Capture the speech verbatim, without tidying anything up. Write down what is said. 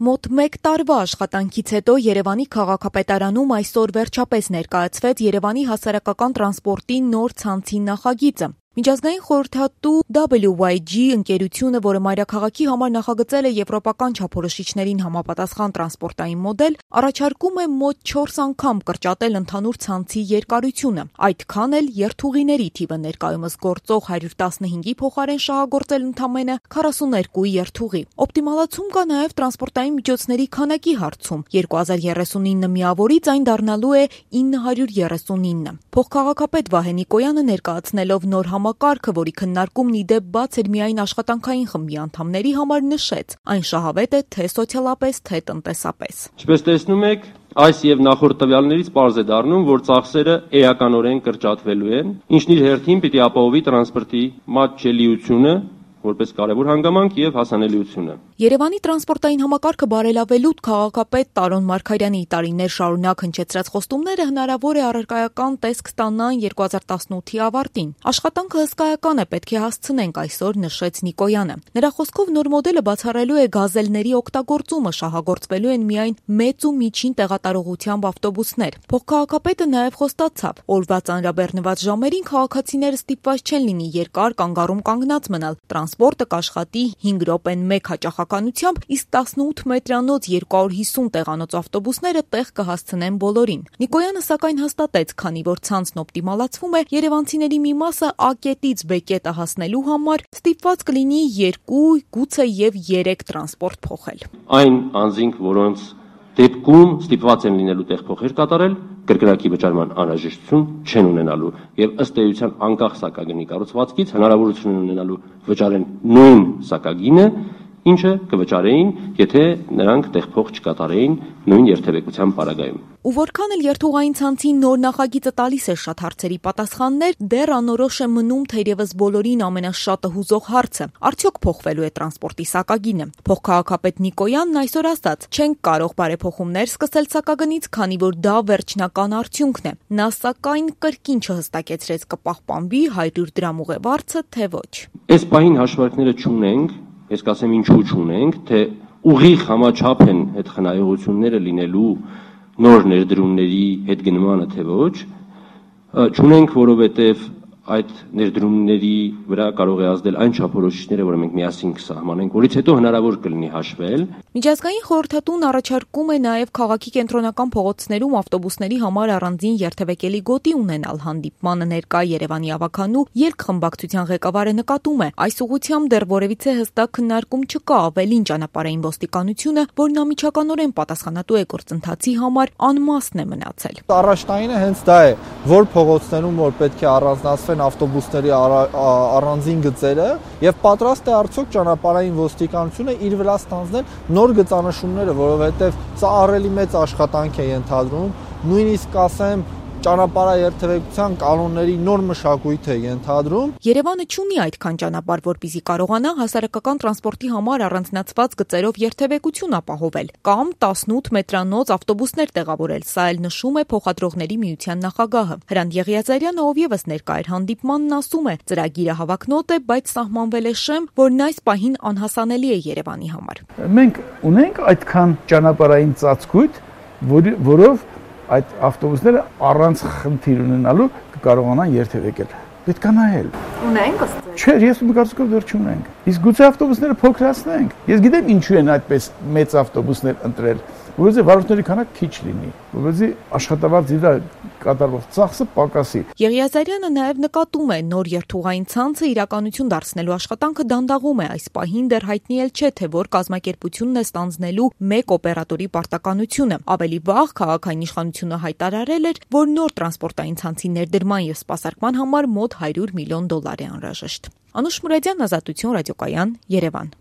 Մոտ մեկ տարվա աշխատանքից հետո Երևանի քաղաքապետարանում այսօր վերջապես ներկայացվեց Երևանի հասարակական տրանսպորտի նոր ցանցի նախագիծը։ Միջազգային խորհրդատու դաբլյու վայ ջի ընկերությունը, որը մայրաքաղաքի համար նախագծել է եվրոպական չափորոշիչներին համապատասխան տրանսպորտային մոդել, առաջարկում է մոտ չորս անգամ կրճատել ընդհանուր ցանցի երկարությունը, այդքան էլ երթուղիների թիվը ներկայումս գործող հարյուր տասնհինգի փոխարեն շահագործել ընդամենը քառասուներկու երթուղի։ Օպտիմալացում կա նաև տրանսպորտային միջոցների քանակի հարցում։ երկու հազար երեսունինը միավորից այն դառնալու է ինը հարյուր երեսունինը։ Փոխքաղաքապետ Վահե Նիկոյանը ներկայացնելով նոր համակարգը, որի քննարկումն ի դեպ բաց էր միայն աշխատանքային խմբի անդամների համար, նշեց, այն շահավետ է թե սոցիալապես, թե տնտեսապես։ Ինչպես տեսնում եք, այս եւ նախորդ տվյալներից պարզ է դառնում, որ ծախսերը էականորեն կրճատվելու են, ինչն իր հերթին պիտի ապահովի տրանսպորտի մատչելիությունը, որպես կարևոր հանգամանք եւ հասանելիությունը։ Երևանի տրանսպորտային համակարգը բարելավելու քաղաքապետ Տարոն Մարգարյանի տարիներ շարունակ հնչեցրած խոստումները հնարավոր է առարկայական տեսք ստանան երկու հազար տասնութի ավարտին։ Աշխատանքը հսկայական է, պետք է հասցնենք այսօր, նշեց Նիկոյանը։ Նրա խոսքով նոր մոդելը բացառելու է գազելների օգտագործումը, շահագործվելու են միայն մեծ ու միջին տեղատարողությամբ ավտոբուսներ։ Փոխքաղաքապետը նաև խոստացավ, օրվա ծանրաբեռնված ժամերին քաղաքացիները ստիպված չեն լինի երկար կանգառում կանգնած մնալ։ Տրանսպորտը կաշխատի հինգ րոպեն մեկ հաճախականությամբ, իսկ տասնութ մետրանոց երկու հարյուր հիսուն տեղանոց ավտոբուսները տեղ կհասցնեն բոլորին։ Նիկոյանը սակայն հաստատեց, քանի որ ցանցն օպտիմալացվում է, երևանցիների մի մասը A կետից B կետը հասնելու համար ստիպված կլինի երկու, գուցե եւ երեք տրանսպորտ փոխել։ Այն անձինք, որոնց դեպքում ստիպված են լինելու տեղփոխեր կատարել, կրկնակի վճարման անհրաժեշտություն չեն ունենալու եւ ըստ էության անկախ սակագնի կառուցվածքից հնարավորություն են ունենալու վճարեն նույն սակագինը, ինչը կվճարեին, եթե նրանք տեղփոխ չկատարեին նույն երթևեկության պարագայում։ Ու որքան էլ երթուղային ցանցի նոր նախագիծը տալիս է շատ հարցերի պատասխաններ, դեռ անորոշ է մնում թերևս բոլորին ամենաշատը հուզող հարցը. արդյոք փոխվելու է տրանսպորտի սակագինը։ Փոխքաղաքապետ Նիկոյանն այսօր ասաց, չենք կարող բարեփոխումներ սկսել սակագնից, քանի որ դա վերջնական արդյունքն է։ Նա սակայն կրկին չհստակեցրեց կպահպանվի հարյուր դրամ ուղևորձը, թե ոչ։ Այս պահին հաշվարկները չունենք, ես կասեմ ինչու չունենք, թե ուղիղ համաչափ են այդ խնայողությունները լինելու նոր ներդրումների հետ գնմանը, թե ոչ, չունենք, որովհետև այդ ներդրումների վրա կարող է ազդել այն չափորոշիչները, որը մենք միասին կսահմանենք, որից հետո հնարավոր կլինի հաշվել։ Միջազգային խորհրդատուն առաջարկում է նաև քաղաքի կենտրոնական փողոցներում ավտոբուսների համար առանձին երթևեկելի գոտի ունենալ։ Հանդիպմանը ներկա Երևանի ավականու ելքխմբակցության ղեկավարը նկատում է, այս ուղղությամբ դեռ որևիցե հստակ քննարկում չկա, ավելին ճանապարհային ոստիկանությունը, որն անմիջականորեն պատասխանատու է գործընթացի համար, անմասն է մնացել։ Առաջնայինը հենց դա է, որ փողոցներում որ պետք է առանձնացվեն ավտոբուսների առանձին գծերը եւ պատրաստ է արդյոք ճանապարհային ոստիկանությունը իր վրա ստանձնել նոր գծանշումները, որովհետեւ սա ահռելի մեծ աշխատանք է ենթադրում, նույնիսկ ասեմ ճանապարհաերթևեկության կանոնների նոր մշակույթ է ենթադրում։ Երևանը չունի այդքան ճանապարհ, որպեսզի կարողանա հասարակական տրանսպորտի համար առանձնացված գծերով երթևեկություն ապահովել կամ տասնութ մետրանոց ավտոբուսներ տեղավորել, սա էլ նշում է փոխադրողների միության նախագահը։ Հրանտ Եղիազարյանը, ով եւս ներկա էր հանդիպմանն, ասում է, ծրագիրը հավակնոտ է, բայց սահմանվել է շեմ, որն այս պահին անհասանելի է Երևանի համար։ Մենք ունենք այդքան ճանապարհային ծածկույթ, որով այդ ավտոբուսները առանց խնդիր ունենալու կկարողանան երթևեկել։ Պետք է նայել։ Ունենք ըստ։ Չէ, ես ու կարծիքով դեռ չունենք։ Իսկ գուցե ավտոբուսները փոքրացնենք։ Ես գիտեմ ինչու են այդպես մեծ ավտոբուսներ ընտրել, որովհետեւ վարորդների քանակը քիչ լինի, որովհետեւ աշխատավարձի վրա կատարվող ծախսը պակասի։ Եղիազարյանը նաև նկատում է, նոր երթուղային ցանցը իրականություն դարձնելու աշխատանքը դանդաղում է, այս պահին դեռ հայտնի էլ չէ, թե որ կազմակերպությունն է ստանձնելու մեկ օպերատորի պարտականությունը։ Ավելի վաղ քաղաքային իշխանությունը հայտարարել էր, որ նոր տրանսպորտային ցանցի ներդրման եւ սպասարկման համար մոտ հարյուր միլիոն դոլար է անհրաժեշտ։ Անուշ Մուրադյան, Ազատություն, ռադիոկայան, Երևան։